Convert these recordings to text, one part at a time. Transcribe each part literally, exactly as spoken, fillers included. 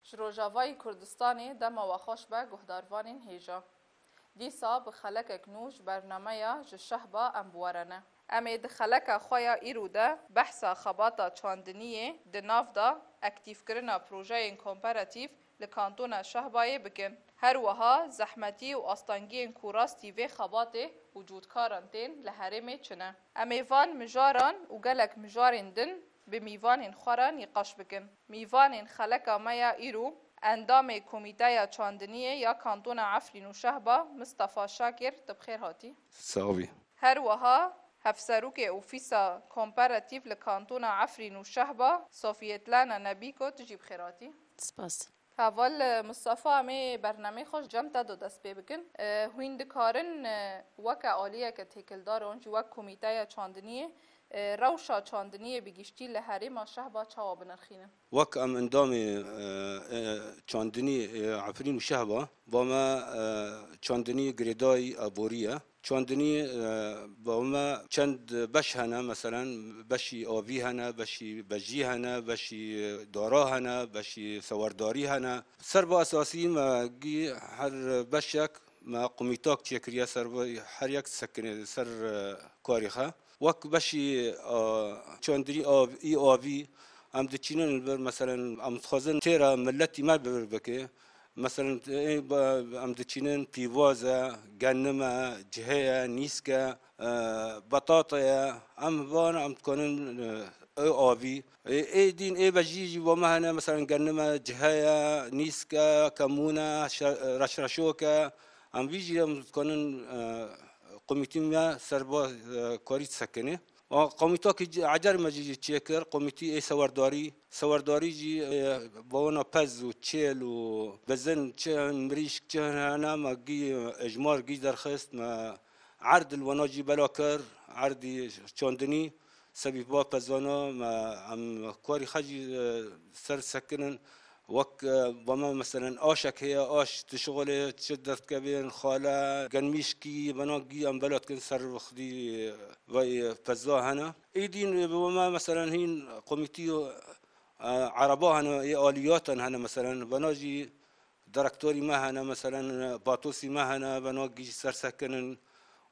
Ji Rojavayî Kurdistanê dema we xweş be guhdarvanên hêja. Dîsa bi xelekek nû ji bernameya Ji Şehba em bi we re ne. Em ê di xeleka xwe ya îro de behsa xebata çandiniyê di nav de aktîfkirina projeyên kooperatîf li Kantona Şehbayê bikin. Her wiha zehmetî û astengiyên ku rastî vê xebatê û cûdkaran tên li herêmê çi ne. Em ê van mijaran û gelek mijarên din bi mîvanên xwe re nîqaş bikin. Mîvanên xeleka me ya îro, endamê Komîteya Çandiniyê ya Kantona Efrîn û Şehba, Mistefa Şakir, tu bi xêr hatî. Sağ bî. Her wiha Hevserokê Ofîsa Kooperatîf li Kantona Efrîn û Şehba, Safiyet Lana Nebîko, tu jî bi xêr hatî. Spas. Heval Mustafa, em ê bernameyê xwe ji cem te de dest pê bikin. E, hûn dikarin, e, weke aliyeke têkildar an jî wek komîteya çandiniyê, e, rewşa çandiniyê bi giştî li herêma Şehba çawa binirxînin? Wek em endamê, e, e, çandinî, e, Efrîn û Şehba, ba me, e, çandinî girêdayî aborî ye. Çandinî, e, ba me çend beş hene, meselen, beşî avî hene, beşî bejî hene, beşî dara hene, beşî sewerdarî hene. Ser ba esasî me gî her beşek me komîtak çêkiriye ser ba her yek sekine ser, e, karê xwe. Wek beşî, e, çandinî av-, î avî em diçînin li vir, meselen, em dixwazin têra miletî me bi vir bike. Meselen, ê, ba-, em diçînin pîvaz e, genim e, cihê ye, nîsk e, e, betate ye. Em van em dikanin, e, ê avî. Ê, ê dîn, ê bejî jî bo me hene, meselen, genim e, cihê ye, nîsk e, kemûn e, şe-, reşreşok e. Em vî jî em dikanin, e, komîtî me ser ba, e, karî disekinê. Û komîtakî ci-, ecer me jî çêkir, komîtî ê sewerdarî. Sewerdarî jî, e, bawona pez û çêl û bizin çi hin, mirîşk çi hin hene, me gî ejmar gî derxist, me erd li wana jî bela kir, erdî çandinî, sebî va pezana, me em karî xwe jî, e, ser sekinin. Wek, e, ba me meselen aşek heye, aş dişixulê, çi derdikevên, xale, genmîşkî, bena gî em bela dikin ser xwedî, e, vay, e, peza hene. Êdîn, e, ba me meselen hîn komîtî, e, ereba hene, ê aliyatan hene meselen, bena jî direktorî me hene, meselen, e, batosî me hene, bena gî jî ser sekinin.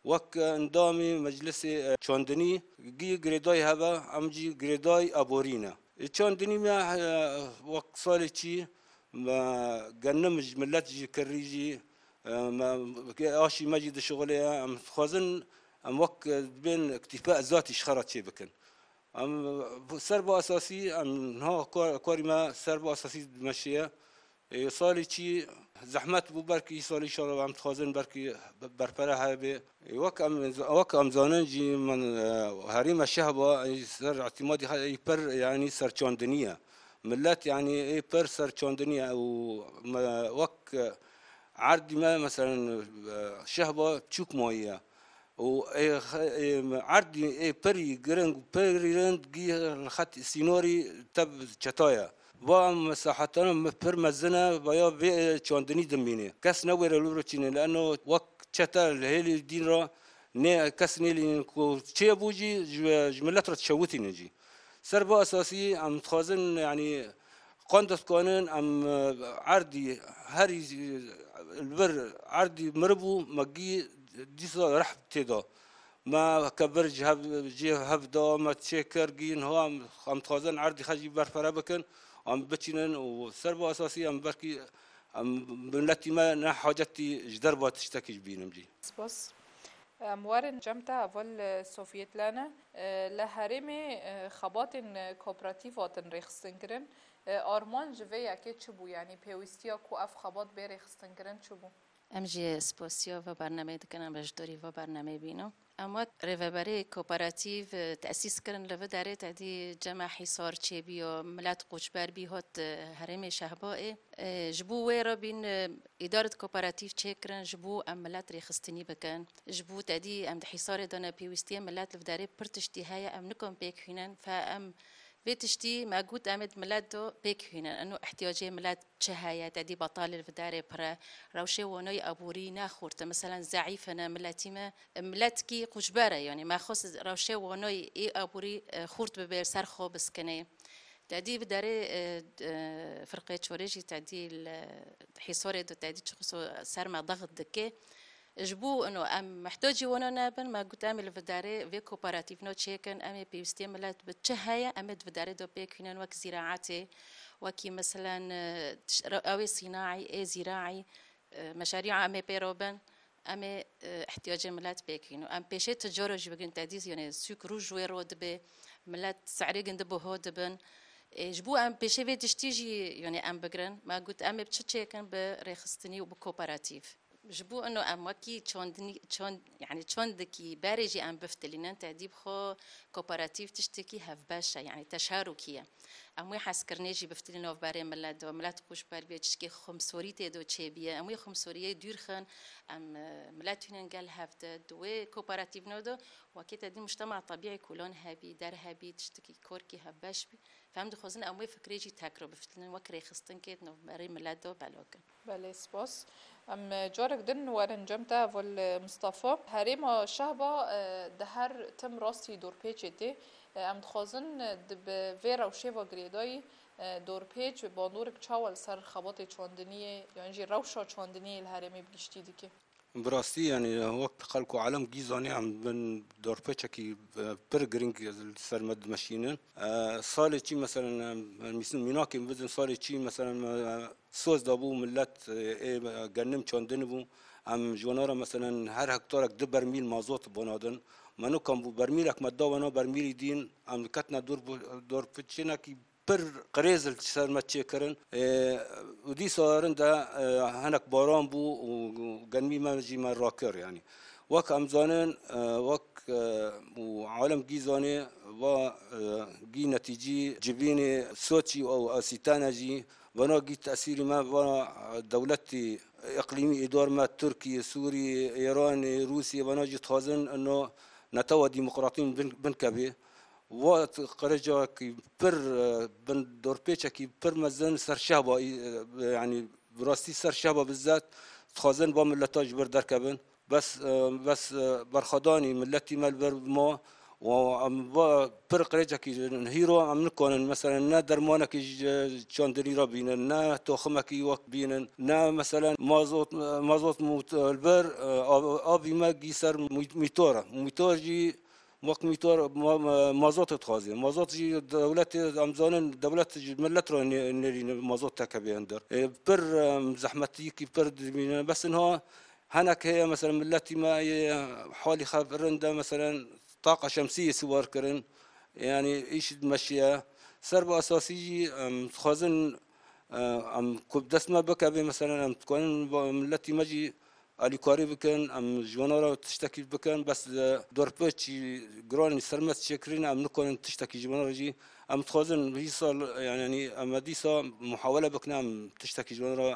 Wek endamê meclisê, e, çandinî gî girêdayî hebe, em jî girêdayî aborî ne. Ê çandinî me, e, wek salê çî me genim ji milet jî kirî jî, e, me, aşî me jî dişixulê ye. Em dixwazin em wek, e, dibên iktîfa ezatî ji xwe re çêbikin. Em, e, ser ba esasî, em niha kar-, karî me ser ba esasî dimeşiye. Ê, salê çî zehmet bû, belkî salê înşallah em dixwazin belkî be-, berpere hebe. Ê, wek em, wek em zanin jî min, e, herêma Şehba, ê, ser îtîmadî xwe ê pir, yanî serçandinî ye. Milet, yanî ê pir serçandinî ye û me, wek, e, erdî me, meselen, e, Şehba çûk mayî ye. Û ê xe-, ê erdî ê pirî giring, pirî rind gî li xet sînorî tev çeta ye. Va em mesahetana me pir mezin e, vaya vê çandinî dimîne. Kes newêre li vir çîne, li eno wek çete li hêlî dîn re nê kes nêlînin ku çê bû jî ji, ji milet re dişewitînin jî. Ser va esasî em dixwazin, yanî, qand dikanin em, e, erdî herî, e, li vir erdî miribû, me gî dîsa reh tê da. Me kebir ji hev, jê hev da, me çê kir gî niha em, em dixwazin erdî xwe jî berpere bikin, em biçînin û ser va esasî em belkî em miletî me ne hacetî ji derva tiştekî jî bînin jî. Spas. Em werin cem te heval, e, Sofiyet Lene. E, li herêmê, e, xebatên, e, kooperatîf hatin rêxistin kirin. E, armanc ji vê yekê çi bû? Yanî pêwîstiya ku ev xebat bê rêxistin kirin çi bû? Em jî spasiya va bernameyê dikin, em beşdarî va bernameyê bînin. Em wek rêveberê kooperatîf, e, tesîs kirin li vê derê tedî cema hîsar çêbî ya milet qoçber bî hat, e, herêmê Şehbayê. E, ji bo wê re bîn, e, îdaret kooperatîf çêkirin, ji bo em milet rêxistinî bikin. Ji bo tedî em di hîsarê de ne, pêwîstiyê milet li vê derê pir tiştî heye, em nikan pêk hînin. Fe em vê tiştî me got, em ê di milet de pêk hînin. Eno ihtiyacê milet çi heye, tedî betalê li vê derê pir e. Rewşê wanayî aborî ne xurt e. Meselen zeîf ne miletî me. Miletkî qoçber e, yanî me xwest rewşê wanayî ê aborî, e, xurt bibe, ser xwe biskinê. Tedî bi derê, e, e, firqê çorê jî tedî li Hîsorê de tedî çixuso ser me daxit dike. Ji bo ino em mihtacî wana nebin, me got em ê li vidarê vê kooperatîvno çêkin, em ê pêwîstiyê milet bi çi heye, em ê di vidarê de pêk hînin wek zîraetê, wekî meselen, e, tiş-, re-, ew ê sînaî, ê zîraî, e, meşarîa em ê pê re bin, em ê, e, ihtiyacê milet pêk hîn û em pêşê ti cara jî bigirin tedî, yanê sûk rû ji wê ro dibe, milet se'rê gindi biho dibin. E, ji bo em pêşê vê tiştî jî, yanê em bigirin, me got em ê bi çi çêkin bi rêxistinî û bi kooperatîv. Ji bo ino em wekî çandinî, çand, yanî çandikî berê jî em biftilînin, tedî bi xwe kooperatîv tiştekî hevbeş e, yanî teşarokî ye. Em wê hezkirinê jî biftilînin navberê milet de, milet xwe ji ber bê tiştekî xumsorî tê de çêbiye. Em wê xumsoriyê dûr xin, em, e, milet hînin gel hev de, di wê kooperatîvno de, wekî tedî mujtema tebîî kolan hebî, der hebî, tiştekî korkî hevbeş bî. Em dixwazin em wê fikrê jî tekro bifitinin, wek rêxistinkê di navberê milet de belakin. Belê, spas. Em, e, carek din werin cem te, heval, e, Mistefa. Herêma Şehba, e, di her tim rastî dorpêçê tê. E, em dixwazin, e, di bi vê rewşê ve girêdayî, e, dorpêç bandorek çawa li ser xebatê çandiniyê, yan jî rewşa çandiniyê li herêmê bi giştî dike? Bi rastî, yanî, wek xelk û alem gî zanî, em bin dorpêçekî, e, pir girîng li ser me dimeşînin. E, salê çî, meselen, em, em mînakê bidin, salê çî, meselen, me soz dabû, millet, e, ê, e, gennim çandin bû. Em ji wana re, meselen, her hektarek du bermîl mazot bona din. Me nikan bû bermîlek me da wana bermîlî dîn, em diketine dor, dorpêçinekî pir qirêz li ser me çêkirin. Ê, û dîsa rind e, e, hinek baran bû û genmî me jî me rakir, yanî. Wek em zanin, e, wek, e, û alem gî zanê, va, e, gî netîcî civînê Soçî û Asîtane jî, vana gî tesîrî me, va, e, dewletî îqlîmî îdar me, Tirkî, Sûrî, Îranê, Rûsî, vana jî dixwazin ino netewa demokratîn bin, binkevê. Wa qirêcakî pir, e, bin dorpêçekî pir mezin ser Şehba, e, yanî bi rastî ser Şehba bizet dixwazin va mileta ji vir derkevin. Bes, e, bes, e, berxwedanî miletî me li vir ma û em va pir qirêcekî hîro em nikanin, meselen, ne dermanekî ji çandinî re bînin, ne toximekî wek bînin, ne, meselen, mazot, mazot mût-, li vir, e, av-, avî me gî ser mû-, mîtor e. Mîtor jî wek mîtor ma-, ma-, mazot dixwaze. Mazot jî dewletê, em zanin, dewlet ji millet re nê-, nêrîne mazot tekevê hundir. Ê, pir, em, zehmetiyekî pir dibîne. Bes niha hinek heye, meselen, milletî me yê halî xev rind e, meselen, taqa şemsiyê siwar kirin. Yanî îş dimeşiye. Ser bi esasî jî, em, dixwazin, e, em ku bi dest me bikeve, meselen, em dikarin ba-, milletî me jî alîkarî bikin, em ji wana re tiştekî bikin, bes, e, dorpêçî giranî ser me çêkirîne, em nikarin tiştekî ji wana re jî, em dixwazin vî sal, yanî, em dîsa muhawele bikin, em tiştekî ji wana re, e,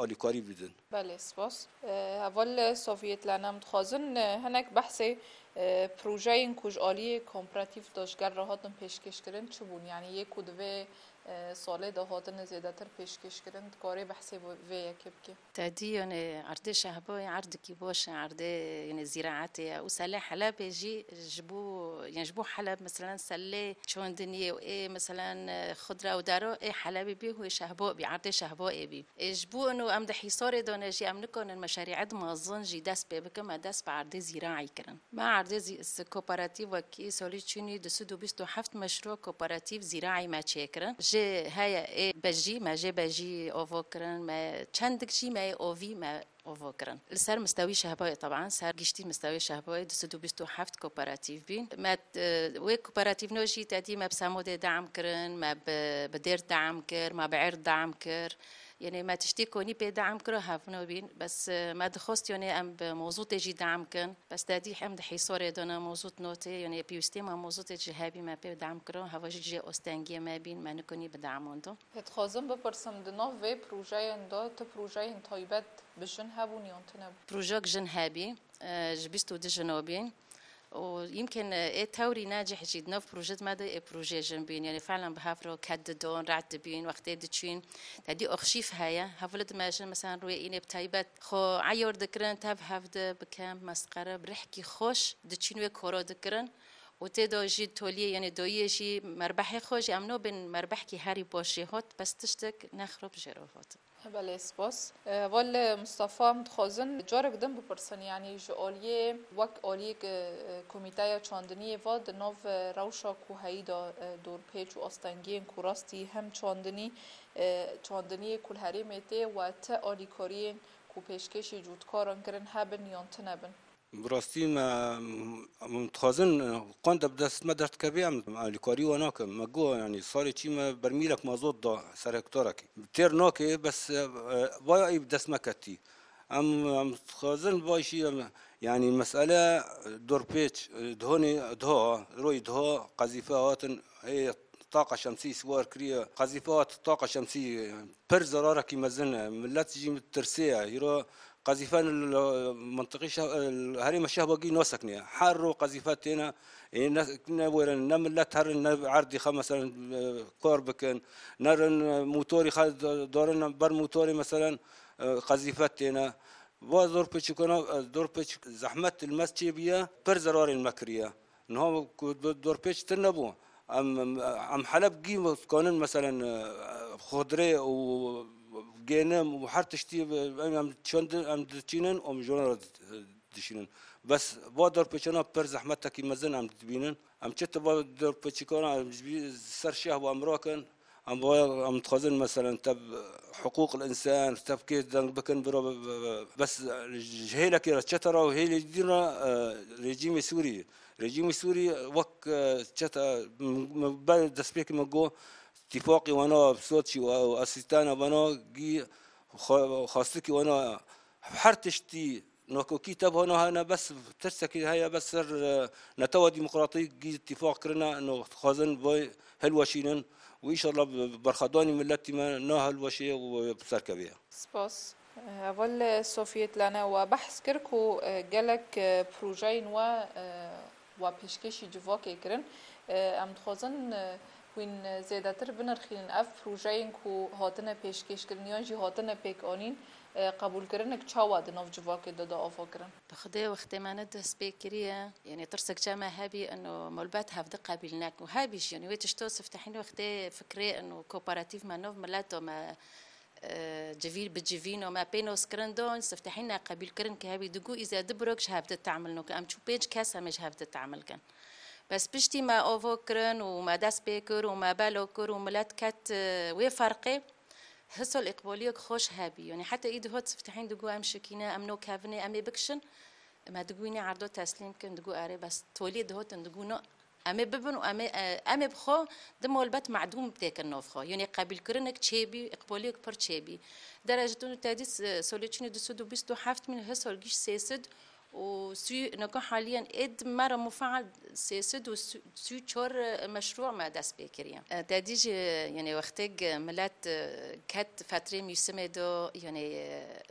alîkarî bidin. Belê, spas. E, heval Sovyetlerine em dixwazin, e, hinek behsê, e, projeyên ku ji aliyê kooperatîf de ji gel re hatin pêşkêşkirin çi bûn? Yanî yê ku di vê, e, salê de hatine zêdetir pêşkêşkirin, dikarê behsê vê, vê yekê bike? Tedî, yanî erdê Şehbayê erdekî baş e, erdê, yanî zîraetê ye. Û selê Helebê jî ji bo, yanî ji bo Heleb, meselen, selê çandiniyê û ê, meselen, xudra û daro ê Helebê bî, hû ê Şehba bî, erdê Şehbayê bî. Ê ji bo ino em di Hîsorê de ne jî em nikanin meşerîet mezin jî dest pê bikin, me dest bi erdê zîraî kirin. Me erdê zî-, s-, kooperatîv wekî salî çûnî du sed û bîst û heft meşrû kooperatîv zîraî me çêkirin. Jê heye ê bejî, me jê bejî ovo kirin, me çendik jî me yê ovî me ovo kirin. Li ser mistewî Şehbayê, teban, ser giştî mistewî Şehbayê du sed û bîst û heft kooperatîv bîn. Me, e, wê kooperatîvno jî tedî me bi semodê deam kirin, me bi, bi dêr deam kir, me bi erd deam kir. Yanî me tiştî konî pê deam kiro hevno bîn. Bes, e, me dixwest, yanî em bi mozûtê jî deam kin. Bes tedî em di Hîsorê de ne mozût notê, yanî pêwîstê me mozûtê jî hebî me pê deam kiro. Heva jî cihê ostengiyê me bîn, me nikonî bi deam wendo. Hê dixwazim bipirsim, di nav vê projeyên de tu projeyên taybet bi jin hebûn yan tune bû? Projek jin hebî, e, ji bîst û du jino bîn. Û yimkin, e, ê tewrî necih jî di nav proje di me de ê projeyê jin bîn. Yanî felen bi hev re ket didon, rehet dibîn, wextê diçîn. Tedî arşîv heye. Hevalê di me jin, mesela, rûyê înê bi taybet xwe eyar dikirin, tev hev de bi kemp, mesqere, bi rihkî xweş diçîn wê koro dikirin. û tê de jî toliyê, yanî doyiyê jî merbehê xwe jî em nabên merbehkî herî baş jê hat, bes tiştek ne xirab jê re hat. Belê, spas. E, heval Mustafa, em dixwazin carek din bipirsin, yanî ji aliyê, wek aliyek, e, komîteya çandiniyê ve di nav, e, rewşa ku heyî de, e, dorpêç û astengiyên ku rastî hem çandinî, e, çandiniyê ku li herêmê tê we ti alîkariyên ku pêşkêşî cotkaran kirin hebin yan tune bin? Bi rastî me, em dixwazin, e, qand bi dest me derdikevê, em alîkarî we nakin. Me got, yanî salê çî me bermîlek mazot da ser hektarekî. Têr nake, bes, e, e, vaya ê bi dest me ketî. Em, em dixwazin vay jî, em, yanî mesele dorpêç, e, dihonê, diha, royê diha qezîfe hatin, ê taqa şemsî siwar kiriye. Qezîfe hat taqa şemsî, e, pir zerarekî mezin e. Millet jî tirsê ye. Hîro qezîfe li mintiqî şeh-, li herêma Şehbagî nasekine. Her ro qezîfe têne, ê ne, ne werin, ne millet herin, ne erdî xwe, meselen, e, kar bikin, ne rin, e, motorî xwe d-, darin ber motorê, meselen, e, qezîfe têne. Va zor pêçikana, e, zor pêçik zehmet li me çêbiye, pir zerarên me kiriye. Niha ku d-, dorpêç tune bû. Em, em, em Heleb gî dikanin, meselen, e, xudrê û gênim û her tiştî, em, em çend, em diçînin, em ji wan re dişînin. Bes va dorpêçana pir zehmetekî mezin em dibînin. Em çi tu va dorpêçikana, em ji bî ser şeh ve em rakin. Em va, em dixwazin, meselen, tev hiqûq l-însan, tev kê deng bikin, bira, bes ji hêlekê re, çete re û hêlê dîn re, e, rejîmê Sûrî. Rejîmê Sûrî wek, e, çete, m-, m-, ber destpêkê min got, tîfaqê wana Soçî û, û Asîstana wana gî xwe-, xwestikî wana her tiştî nakokî tev hona hene, bes tirsekî heye, bes ser, e, netewa demokratîk gî tîfaq kirine, no dixwazin vay hilweşînin û înşallah bi, bi berxwedanî miletî me na hilweşê û bi ser kevê. Spas. Heval Sofiyet Lane, we behs kir ku, e, gelek, e, projeyên we, e, we pêşkêşî civakê kirin. E, em dixwazin, e, hûn zêdetir binirxînin ev projeyên ku hatine pêşkêşkirin yan jî hatine pêkanîn, e, qebûlkirinek çawa di nav civakê de da ava kirin? Bi Xwedê wextê me ne dest pê kiriye, yanî tirsek çe me hebî, eno malbat hevdi qebîl nekin. Hebî jî, yanî wê tişto siftehîn wextê fikrê, eno kooperatîf me nov mileto me, e, civîn bi civîno me pê noskirin don, siftehîn ne qebîlkirin ki hebî digu îze di birok ji hevdi temil nokin. Em çû pênc kes em ê ji hevdi temil kin. Bes piştî me ovo kirin û me dest pê kir û me belo kir û milet ket, e, wê ferqê. Hisol îqboliyek xweş hebî. Yanî heta î dihot siftehîn digu em şikîne, em no kevine, em ê bikişin. Me digu wînê erdo teslîm kin, digu erê bes toliyê dihotin, digu no. Em ê bibin û em ê, e, em ê bi xwe di molbet medûm têkin nov xwe. Yanî qebîlkirinek çêbî, îqboliyek pir çêbî. Derece tunu tedîs, e, solê çûnê du sed û bîst û heft mîn, hisol gîş sê sed û sî, neka haliyen êd me re mufeal sê sed û sî û çar meşrû me dest pê kiriye. E, te dî jî, yanî wextêk milet, e, ket fetrê mûsimê do, yanî, e,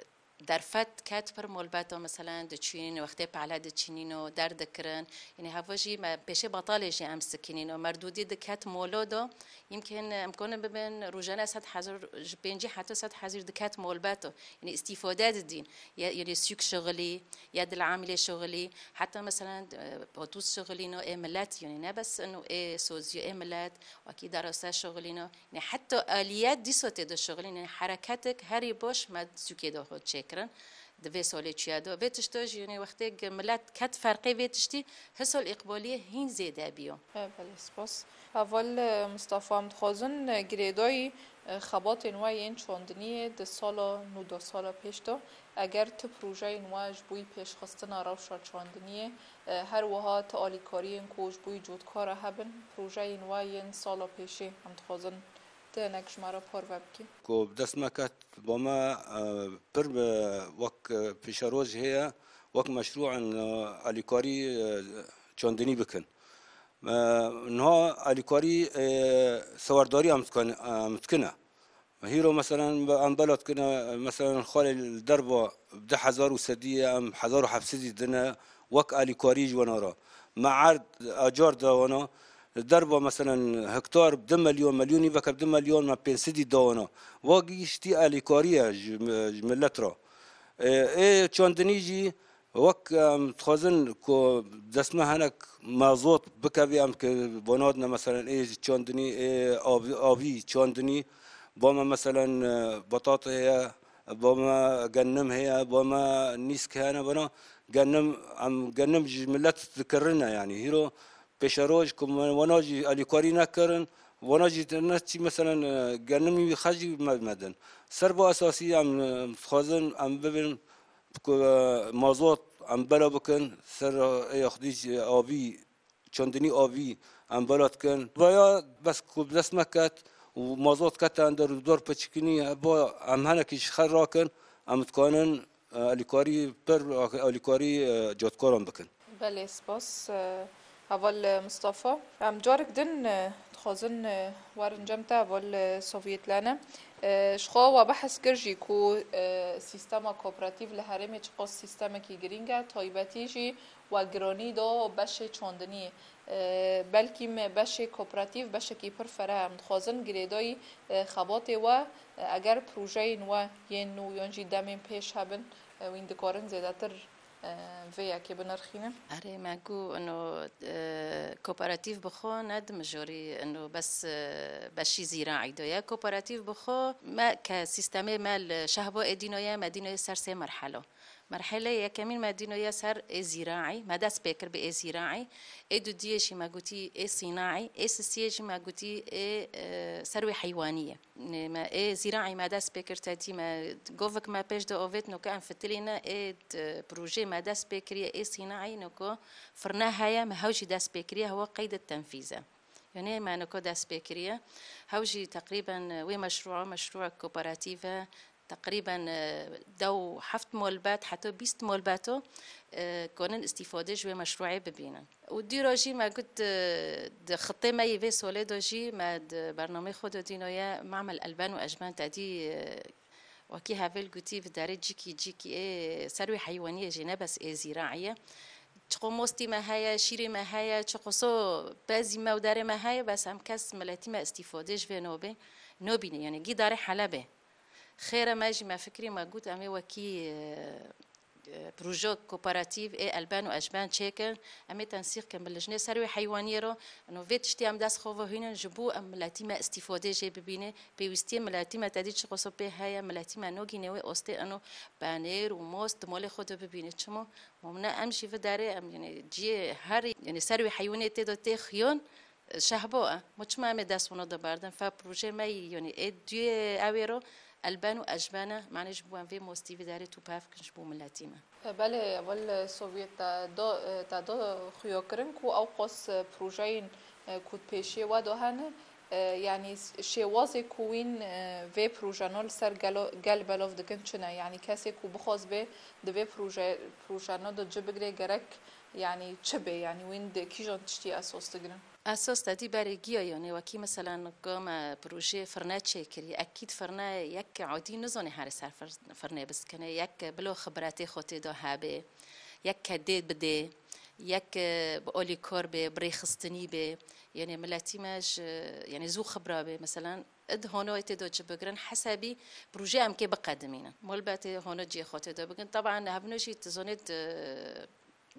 derfet ket pir molbeto, meselen, diçîn, wextê pehle diçînîno, derdikirin. Yanî heva jî me pêşê betalê jî em sikînîno. Merdûdî diket molo do, yimkin em konin bibin rojane sed hezar, ji pêncî heta sed hezar diket molbeto. Yanî îstîfade didîn. Ya, yanî sûk şixilî, ya dil'amilê şixilî, heta meselen, e, otuz şixilîno ê milet, yanî ne bes ino ê sozî ê milet, wekî derose şixilîno. Yanî heta aliyet dîso tê de şixilîn, yanî hereketek herî baş me sûkê de xwe çêkirin. Di vê solê çûye de. Vê tişto jî, yanî wextê milet ket ferqê vê tiştî, hisol îqboliyê hîn zêde biyo. E, belê, spas. Heval, e, Mustafa, em dixwazin, e, girêdayî, e, xebatên we yên çandiniyê di sala nû de sala pêş de, eger tu projeyên we ji bo yî pêşxistina rewşa çandiniyê, e, her wiha tu alîkariyên ku ji bo yî cotkara hebin, projeyên we yên sala pêşê, em dixwazin tu hinek ji me re parve bikî. Ku bi dest me ket, ba me, e, pir, e, wek, e, pêşeroj heye, wek meşrû in, e, alîkarî, e, çandinî bikin. Me niha alîkarî, e, sewerdarî em dikin, em dikine. Hîro, meselen, em bela dikine, meselen, xalê li derva bi du hezar û sedî ye, em hezar û heft sedî dine, wek alîkarî ji wana re. Me erd, acar da wana, li derva, meselen, hektar bi du milyon, milyonî veke bi du milyon, me pênc sedî da wana. Va gihiştî alîkarî ye ji, ji milet re. Ê, ê çandinî jî, Wek em dixwazin ku dest me hinek mazot bikevî, em ki vonadine, meselen, ê çandinî, ê avî, avî çandinî, ba me, meselen, e, batat heye, ba me gennim heye, ba me nîsk hene, bana gennim, em gennim ji millet dikirine, yanî hîro pêşeroj ku me wana jî alîkarî nekirin, wana jî ne çî, meselen, e, genimî wî xecî me, medin. Ser va esasî em, em dixwazin em bibin ku, e, mazot em bela bikin, ser, e, ê xwedî jî avî, çandinî avî em bela dikin. Vaya bes ku bi dest me ket û mazot kete ender û dor piçikinî heba em henekî ji xer rakin, em dikanin, e, alîkarî pir, alîkarî, e, cadkaran bikin. Belê, spas, e, heval Mistefa. Em carek din, e, dixwazin, e, werin cem te, heval, e, Sovyêtlane. E, ji xwe we behs kir jî ku, e, sîstema kooperatîf li herêmê çiqas sîstemekî girîng e, taybetî jî we giranî da beşê çandiniyê. E, belkî me beşê kooperatîf beşekî pir fereh e. Em dixwazin girêdayî, e, xebatê we, e, eger projeyên we yên nû yan jî demên pêş hebin, e, wîn dikarin zêdetir, e, vê yekê binirxînin? Erê, me got, ino, e, kooperatîf bi xwe ne di mijorî, ino, bes, e, beşî zîraî de ye. Kooperatîf bi xwe me ke sîstemê me li Şehbo ê dîno ye, me dîno ye ser sê merhelo. Merhele yekemîn me dîno ye ser ê zîraî, me dest pê kir bi ê zîraî. Ê dudiyê jî me gotî ê sînaî, ê sisiyê jî me gotî ê, e, serwê heywanî ye. Nê me ê zîraî me dest pê kir, te dî me govik me pêş de ovêt, noke em fitilîne ê d-, projeyê me dest pê kiriye ê sînaî, noko firne heye, me hew jî dest pê kiriye, hewa qeyd tenfîz e. Yanî me noko dest pê kiriye. Hew jî teqrîben, e, wê meşrûa, meşrûa kooperatîf e. Teqrîben, e, deh û heft molbet, heta bîst molbeto, e, konin îstîfade ji wê meşrûê bibînin. Û dîro jî me got, e, di xitê me yê vê solê de jî me di bernameyê xwe de dîno ye, Mamel Elben û Ejben te dî, e, wekî hevel gotî, bi derê cîkî, cîkî ê serwê heywaniyê jî ne bes ê zîraî ye. Çiqo mostî me heye, şîrê me heye, çiqo so pezî me û derê me heye, bes em kes miletî me îstîfade ji vê nobê, nobîne, yanî gî darê Helebê. Xêre me jî me fikirî me got, em ê wekî, e, e, proje kooperatîf ê Elben û Ejben çêkin, em ê tensîq kin bi lijnê serwê heywaniyê ro, ino vê tiştî em dest xwe vehînin, ji bo em miletî me îstîfade jê bibîne, pêwîstiyê miletî me tedî çi qoso pê heye, miletî me nogîne wê ostê ino penêr û most di molê xwe de bibîne. Çima? Mamne em jî vidarê em, yanî ciyê her, yanî serwê heywanê tê de tê xiyon, Şehbo e. Ma çima em ê dest wana de berdin? Fe proje me yî, yanî ê duyê ew ê ro Elben û Ejben e. Mane ji bo em vê mostî vê derê tu pev kin ji bo miletî me. E, belê, ewil, e, Sovyet te do, e, te do xuya kirin ku ew qas, e, projeyên, e, ku di pêşiyê we de hene, e, yanî s-, şêwazê ku wîn, e, vê projeno li ser gelo-, gel belav dikin çi ne? Yanî kesê ku bixwaz bê di vê proje-, projeno de ci bigirê gerek, yanî çi bê? Yanî wîn di kîjan tiştî esas digirin? Esas te dî berê giya, yanî wekî, meselen, ku me projeyê firne çêkirî, ekîd firne yek adî nizanê here ser fir-, firnê biskine, yek bila xibretê xwe tê de hebe, yek kedê bidê, yek, e, bi alîkar bê, bi rêxistinî bê, yanî miletî me ji, yanî zû xibra bê, meselen, id hanoyê tê de ci bigirin, hesebî proje em kê biqedimînin. Malbetê hano cihê xwe tê de bigin. Teban hevno jî tu zanê di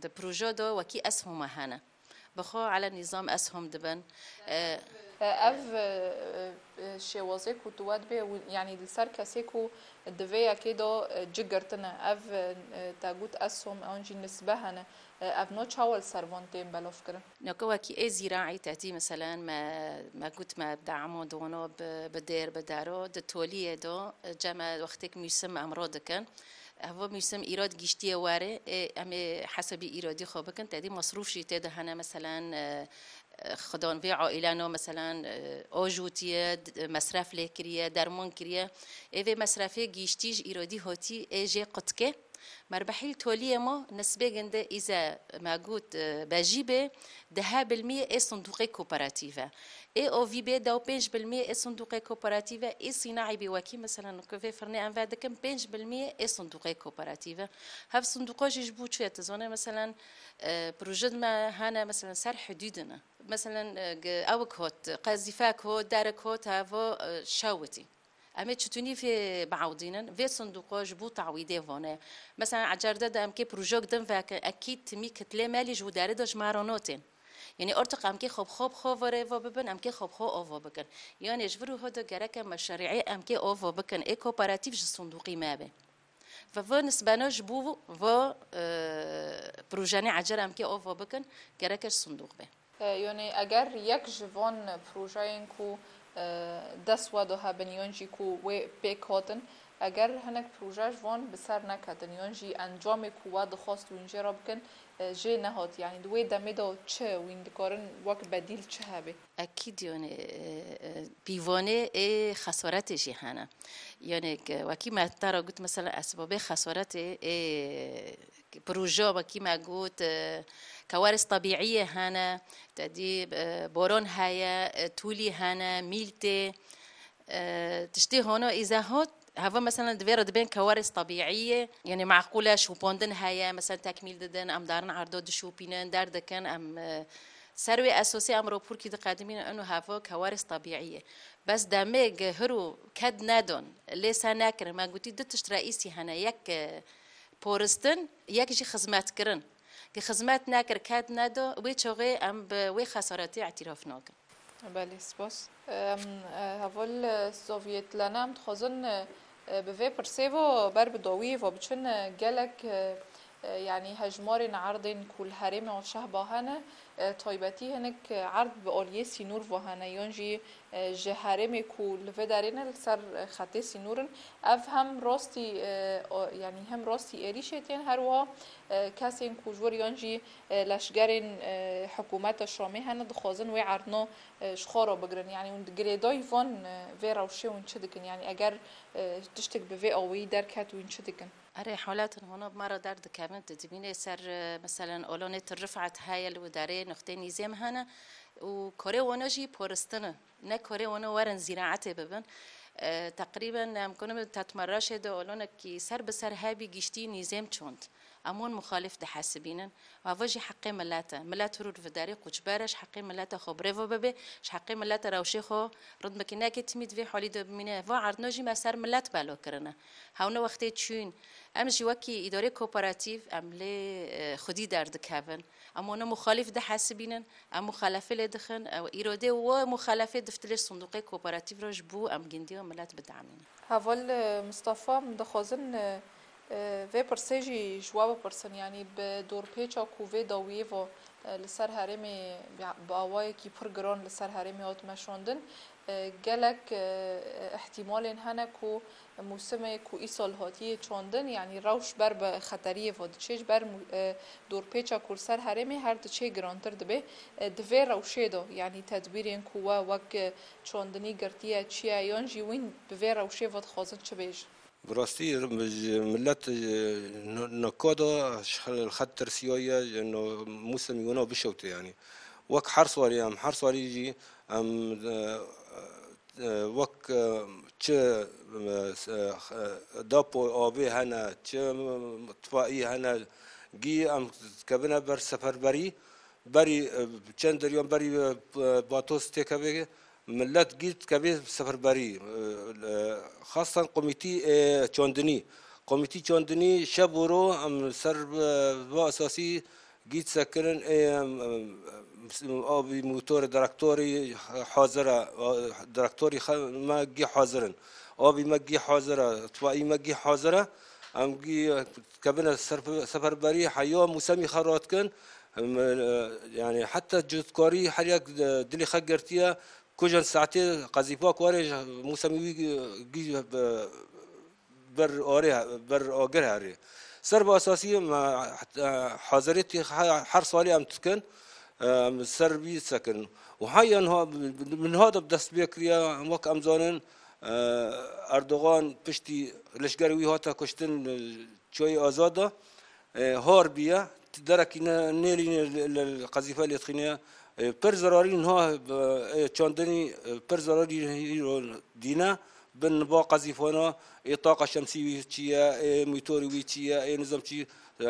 Di proje de wekî eshoma hene. Bi xwe ele nîzam eshom dibin. E, Ev, e, e, şêwazê ku tu we dibê, wi-, yanî li ser kesê ku di vê yekê de, e, ci girtine. Ev, e, te got eshom, ewan jî nisbe hene. E, ev no çawa li ser van tên belavkirin? Neke wekî ê zîraî te dî, meselen, me, me got me dema di wano bi, bi dêr, bi dero, di toliyê de, e, cem e wextêk mûsim em ro dikin. Evo mûsim îrad giştiye were, ê, em ê hesabî îradî xwe bikin, tedî masrûf jî tê de hene, meselen, e, e, xidan vê aîleno, meselen, e, o jûtiye, d-, mesref lê kiriye, derman kiriye. Ê vê mesrefê giştî ji îradî hotî, ê jê qutke. Merbehîl toliyê ma nisbê ginde îze me got, e, bejî bê, dehe bilmiyê ê sindûqê kooperatîve. Ê ovî bê, dew pênc bilmiyê ê sindûqê kooperatîve, ê sînaî bê wekî, meselen, ku vê firnê em vedikin, pênc bilmiyê ê sindûqê kooperatîve. Hev sindûqo jî ji bo çi ye? Tu zanê, meselen, e, proje me hene, meselen, ser hidûdine. Meselen, e, ge-, ewik hot, qezîfek hot, derek hot, hevo, e, şewitî. Em ê çitunî vê biewdînin, vê sinduqa ji bo tawîdê vane. Mesela ecerde de em kê projek din vekin, ekîd timî kitlê me lî ji wî derê de ji me re notên. Yanî ortiq em kê xwe bi xwe bi xwe ve rêva bibin, em kê xwe bi xwe ava bikin. Yanî ji vir û ho de gereke meşerî'ê em kê ava bikin, ê kooperatîf ji sinduqî me be. Ve vê nisbena ji bo vê, e, projenê ecer em kê ava bikin, gereke ji sinduq be. E, yanî eger yek ji van projeyên ku, e, dest we de hebin yan jî ku wê pêk hatin, eger hinek proje ji van bi ser neketin yan jî encamê ku we dixwast wîn jê re bikin, e, jê nehat, yanî di wê demê de çi wîn dikarin wek bedîl çi hebe? Ekîd, yanî, e, e, pîvanê ê xesaretê jî hene. Yanî, ke wekî me te re got, mesela, esbabê xesaretê ê proje, wekî me got, e, kewarîs tebîîyê hene, te dî, e, boron heye, e, tûlî hene, mîl tê, e, tiştê hona îze hat, heva, mesela, divê re dibên kewarîs tebîîyê, yanî, meqûl e, şopandin heye, mesela, tekmîl didin, em darin erdo dişopînin, derdikin, em, e, ser wê esosê em raporkî diqedimînin, ino heva kewarîs tebîîyê. Bes demê gi hiro ked nedon, lê se nekirin. Me gotî du tişt reîsî hene, yek, e, poristin, yek jî xizmetkirin. Gi xizmet nekir, ked nedo, wê çaxê em bi wê xesaretê îtîraf nakin. Belê, spas. Em, e, heval, e, Sovyet Lene, em dixwazin, e, e, bi vê pirsê ve ber bi dawiyê ve biçin, e, gelek, e, e, yanî hejmarên erdên ku li herêmê Şehba hene, e, taybetî hinek, e, erd bi aliyê sînor ve hene, yan jî, e, ji herêmê ku li vê derê ne li ser, e, xetê sînor in. Ev hem rastî, e, o, yanî hem rastî êrîşê tên, her wiha, e, kesên ku ji wir yan jî, e, leşgerên, e, hikûmeta Şamê hene, dixwazin wê erdna, e, ji xwe re bigirin. Yanî hûn di girêdayî van, e, vê rewşê hûn çi dikin? Yanî eger, e, tiştek bi vê awayî derket, hûn çi dikin? Erê, halatên hona bi me re derdikevin, tu dibînê ser, e, meselen, olonê Til Rifet heye li wê derê, nuxtê nîzêm hene û korê wana jî poristin e. Ne korê wana werin zîraetê bibin. E, teqrîben em kunim Tetmeraşê de olonekî ser bi ser hebî giştî nîzêm çond. Em wan muxalif dihesibînin. Ava jî heqê milet e. Milet hûr û li vê derê qoçber e, ji heqê milet e xwe birêve bibe, ji heqê milet e rewşê xwe ritmekî neke, timî di vê halî de bimîne. Va erdno jî me ser milet belo kirine. Hewne wextê çûn. Em jî wekî îdarê kooperatîf, em lê, e, xwedî derdikevin. Em wana muxalif dihesibînin, em muxalefê lê dixin, ew îrodê û muxalefê diftilê sinduqê kooperatîf re ji bo em gindiya milet bidamînin. Heval, e, Mistefa, em dixwazin, e, e, vê pirsê jî ji we bipirsin, yanî bi dorpêça ku vê dawiyê ve, e, li ser herêmê bi, bi awayekî pir giran li ser herêmê hat meşandin, e, gelek, e, îhtîmalên hene ku mûsimê ku îsal hatiye çandin, yanî rewş ber bi xeteriyê ve diçê, ji ber mû-, e, dorpêça ku li ser herêmê her diçê girantir dibe. E, di vê rewşê de, yanî tedbîrên ku we wek, e, çandinî girtiye çi ye, yan jî wîn bi vê rewşê ve dixwazin çi bêjin? Bi rastî, ji milet, e, no-, nokada ji xel-, xet tirsiyaye, ji no-, mûsemî wana bişewte, yanî. Wek her salî em, her salî jî em, e, e, wek, e, çi, e, s-, e, depo avê hene, çi, e, tfaî hene, gî em dikevine ber seferberî, berî, e, çend deryan berî, e, batos têkeve, milet gî dikeve seferberî, e, e, xastan komîtî, e, çandinî. Komîtî çandinî şev û ro em ser, e, va esasî gî disekirin, ê, em, em, em, avî motorê direktorî hazir e, a, direktorî xe-, me gî hazir in. Avî me gî hazir e, tfaî me gî hazir e. Em gî, e, dikevine serf-, seferberî heya mûsemî xwe radikin. Em, e, yanî heta cotkarî her yek, e, dilê xwe girtiye, ku jin saetê qezîfa ku were mûsemî wî gî, gî, e, ber arê, ber agir herê. Ser bi esasî me, e, hazirêtî he-, her salî em dikin, e, em ser vî sekin. Û heya niha, min niha de bi dest pê kiriye, wek em zanin, e, Erdogan piştî leşgerê wî hate kuştin, e, Çiyayê Azad de, e, har bûye, derekî ne, nêlîne li, li, li qezîfe lê dixîne, e, pir zerarî niha, e, çandinî, e, pir zerarî îro dîne, Bin ba qezîfana, ê taqa şemsî wî çi ye, ê motorî wî çi ye, ê nizam çi, e,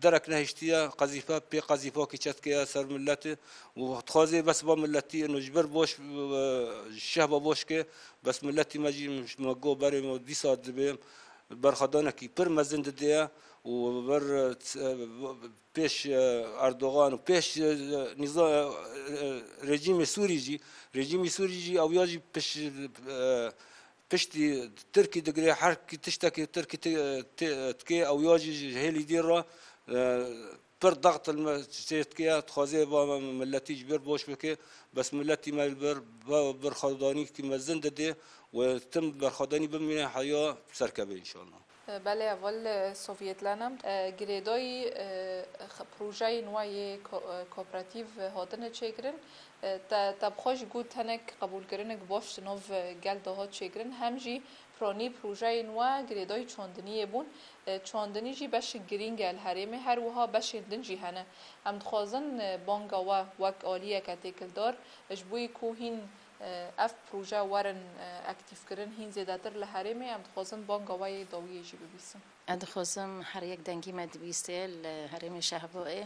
derek nehiştiye, qezîfe pê qezîfakî çetkiye ser milletê û dixwazê bes ba milletî ino ji ber baş, e, şehba baş ke, bes milletî me jî me go berê me dîsa dibê berxwedanekî pir mezin didê û ber, e, pêş, e, Erdogan û pêş, e, nîza-, e, e, rejîmê Sûrî jî, rejîmê Sûrî jî ew ya jî piş, e, piştî Tirkî digire, her kî tiştekî Tirkî ti-, ti-, dike, ew ya jî ji hêlî dî re, e, pir daxtilme çê dike, dixwaze va milletî ji ber boş bike, bes milletî me li ber, va berxwedanîkî mezin dide û tim berxwedanî bimîne heya serkeve înşallah. Belê, heval, e, Sovyetlenan, e, girêdayî, e, x-, projeyên we yê ko-, e, kooperatîv hatine çêkirin. E, te, te bi xwe jî got hinek qebûlkirinek baş di nav, e, gel de hat çêkirin. Hem jî piranî projeyên we girêdayî çandiniyê bûn. E, çandinî jî beşek girîng e li herêmê, her wiha beşên din jî hene. Em dixwazin, e, banga we wek aliyeke têkildar, ji bo yî ku hîn, e, ev proje werin, e, aktîfkirin, hîn zêdetir li herêmê, em dixwazin banga we yê dawiyê jî bibîsin. Ez dixwazim her yek dengî me dibîsê li herêmê Şehboyê,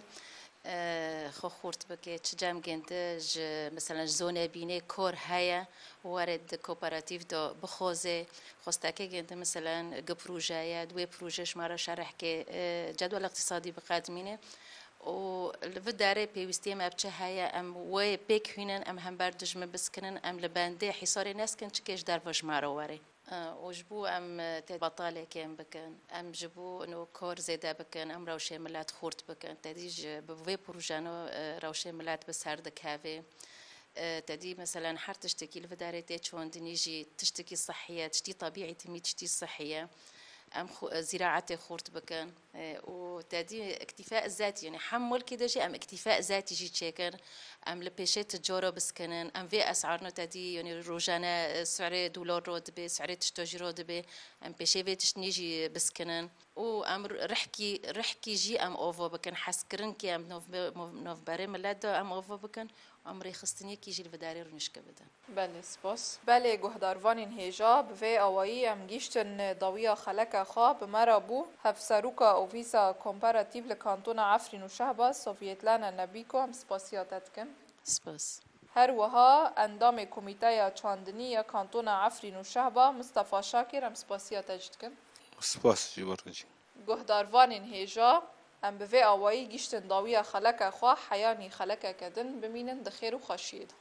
e, xwe xurt bike, çi cem gêndi ji, mesela ji zonê bînê kor heye, were di kooperatîf de bixwaze, xwesteke gêndi, mesela gi proje ye, di wê proje ji me re şerh ke, e, cedwel iqtisadî biqedimîne û li vi derê pêwîstiyê me bi çi heye, em wê pêk hînin, em hember dijmin biskinin, em li bendê hîsarê neskin, çike ji derve ji me re were. Û ji bo em, e, tê betalê kêm bikin, em ji bo ino kor zêde bikin, em rewşê milet xurt bikin. Te dî ji bi vê projeno, e, rewşê milet bi ser dikeve. E, te dî, meselen, her tiştekî li vê derê tê çandinî jî tiştekî sihî ye, tiştî tebîî timî tiştî sihî ye. Em xu-, e, zîraetê xurt bikin. E, û te dî îktîfa zetî, yanî hem mulkê de jî em îktîfa zetî jî çêkin. Em li pêşê ticara biskinin. Em vê esarno te dî, yanî rojane, e, si'rê dolar ro dibe, si'rê tişta jî ro dibe. Em pêşê vê tiştnî jî biskinin. Û em rihkî, rihkî jî em ava bikin. Hezkirin ki em nav, nav, navberê millet de em ava bikin. Em rêxistiniyekî jî li vê derê rûnişke bidin. Belê, spas. Belê, guhdarvanên hêja, bi vê awayî em gîştin dawiya xeleka xwe. Bi me re bû hevseroka Ofîsa Komparatîv li Kantona Efrîn û Şehbaz, Sovyetlana Nebîko, em spasiya te dikin. Spas. Her wiha endamê Komîteya Çandinî ya Kantona Efrîn û Şehba, Mistefa Şakir, em spasiya te jî dikin. Spas ji bo te jî. Guhdarvanên hêja, em bi vê awayî gîştin dawiya xeleka xwe, heyanî xelekeke din bimînin di xêr û xweşiyê de.